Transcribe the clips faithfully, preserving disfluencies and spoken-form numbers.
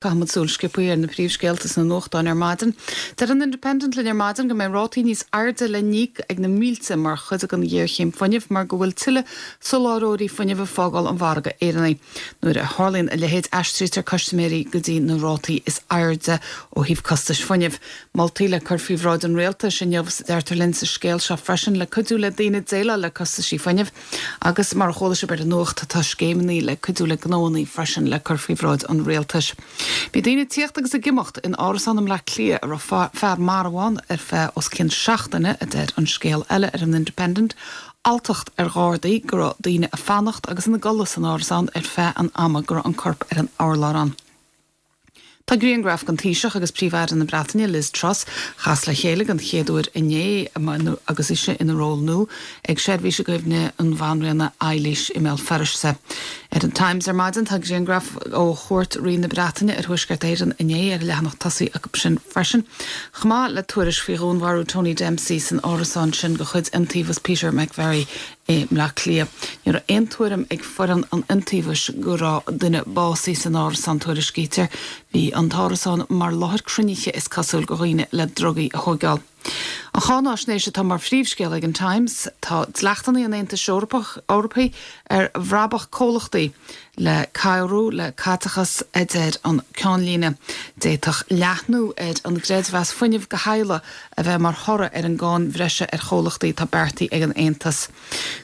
Caithfimid súil sciobtha ar na príomhscéalta sna nuachtáin ar maidin. Deir an Independent linn ar maidin go mbeidh rátaí níos airde le n-íoc ag na mílte mar chuid den ghéarchéim fuinnimh mar go bhfuil tuilleadh soláthróirí fuinnimh ag fágáil an mhargaidh Éireannaigh. Nuair a tharlaíonn a leithéid aistrítear custaiméirí go dtí na rátaí is airde ó thaobh costais fuinnimh. Moltaí le cur faoi bhráid an rialtais inniu deirtear linn sa scéal seo freisin le cuidiú le daoine déileáil le costaisí fuinnimh agus mar a chuala sibh ar an nuacht tá scéimeanna le cuidiú le gnónna freisin le cur faoi bhráid an rialtais. Bhí daoine ag tíocht agus ag imeacht in árasán i mBleá Cliath a raibh fear marbh ann ar feadh os cionn seachtaine a deir an scéal eile ar an Independent, alltacht ar ghardaí go raibh daoine ag fanacht agus ina gcodladh san árasán ar feadh an ama go raibh an corp ar an urlár ann. Tá grianghraf den Taoiseach agus Príomh-Aire na Breataine Liz Truss chas le chéile den chéad uair inné agus ise ina ról nua ag seirbhís i gcuimhne an Bhanríona Eilís i mBéal Feirste. Ar an Times ar maidin tá grianghraf ó chuairt Rí na Breataine ar Thuaisceart Éireann inné ar leathanach tosaigh acu sin freisin. Chomh maith le tuairisc faoi dhúnmharú Tony Dempsey san árasán sin de chuid Iontaobhas Peter McVerry i mBleá Cliath. Ní raibh aon tuairim ag foireann an Iontaobhais go raibh duine básaithe san árasán tuairiscítear. Bhí an t-árasán mar láthair cruinnithe is cosúil do dhaoine le drugaí a thógáil. An cháinaisnéis atá mar phríomhscéal ag an Times tá dleachtanna an Aontais Eorpach Eorpaigh ar bhrabach comhlachtaí le cabhrú le caiteachas a deir an ceannlíne. D'fhéadfadh leathnú ar an gcreidmheas fuinnimh do theaghlaigh a bheith mar thoradh ar an gcáin bhreise ar chomhlachtaí atá beartaithe ag an Aontas.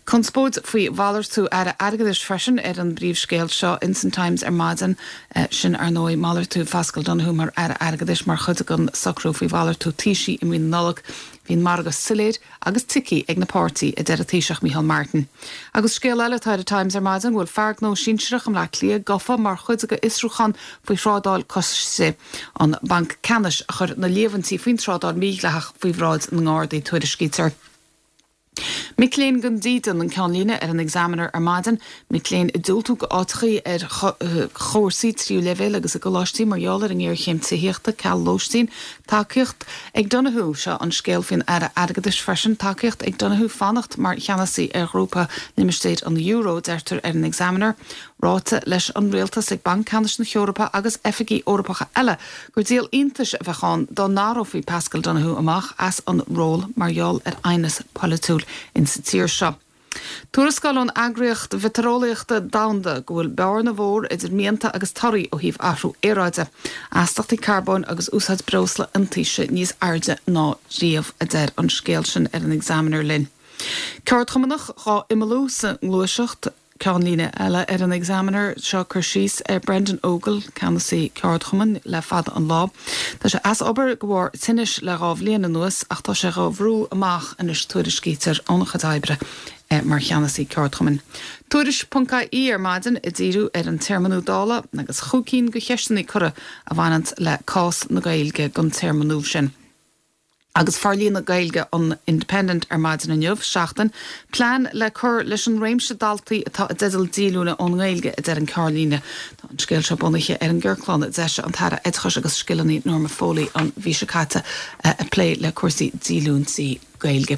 Conspóid faoi mhalartú aire airgeadais freisin ar an bpríomhscéal seo in san Times ar maidin sin ar ndóigh malartú Pascal Donoghue mar aire airgeadais mar chuid den socrú faoi mhalartú Taoisigh i mí na Nollag. Bhí an margadh soiléir agus tuigthe ag na páirtithe a deir an Taoiseach Micheál Martin. Agus scéal eile atá ar Times ar maidin bhfuil fear gnó sinsearach i mBleá Cliath gafa mar chuid de fhiosrúchán faoi thrádáil costais an Banc Ceannais a chuir na líomhaintí faoin trádáil mhídhleathach faoi bhráid na nGardaí tuairiscítear. Mic léinn gan dídean an ceannlíne ar an Examiner ar maidin, mic léinn ag diúltú d'áiteacha ar chúrsaí tríú leibhéal agus i gcoláistí mar gheall ar an ngéarchéim tithíochta ceal lóistín, tacaíocht ag Donoghue seo an scéal faoin aire airgeadais freisin, tacaíocht ag Donoghue fanacht mar cheannasaí ar ghrúpa limistéir an euro deirtear ar an Examiner, ráite leis an rialtas ag Banc Ceannais na hEorpa agus oifigí Eorpacha eile gur díol iontais a bheadh ann dá n-éireofaí Pascal Donoghue amach as an ról mar gheall ar aighneas polaitiúil in sa tír seo. Tuarascáil ón eagraíocht mheitéareolaíochta domhanda go bhfuil bearna mhór idir mianta agus torthaí ó thaobh athrú aeráide, astaíochtaí carbóin agus úsáid breosla iontaise níos airde ná riamh a deir an scéal sin ar an Examiner linn. Ceardchumannach á imeallú sa ngluaiseacht ceannlíne eile ar an Examiner seo cur síos ar Brendan Ogle ceannasaí ceardchumainn le fada an lá. Tá sé as obair de bharr tinnis le dhá bhliain anuas ach tá sé á bhrú amach anois tuairiscítear óna chuid oibre eh, mar cheannasaí ceardchumainn. Tuairisc.ie ar maidin ag díriú ar an téarmannú Dála agus chúig cinn de cheisteanna curtha a bhaineann le cás na Gaeilge don téarmannú sin. Agus forlíonadh Gaeilge an Independent ar maidin inniu seachtain, plean le cur leis an réimse daltaí atá i dteideal díolúine ón nGaeilge a deir an ceannlíne. Tá an scéal seo bunaithe ar an gciorclán a d'eisigh an tAire Oideachais agus Scileanna Norma Foley an mhí seo caite a plé le cúrsaí díolúintí Gaeilge.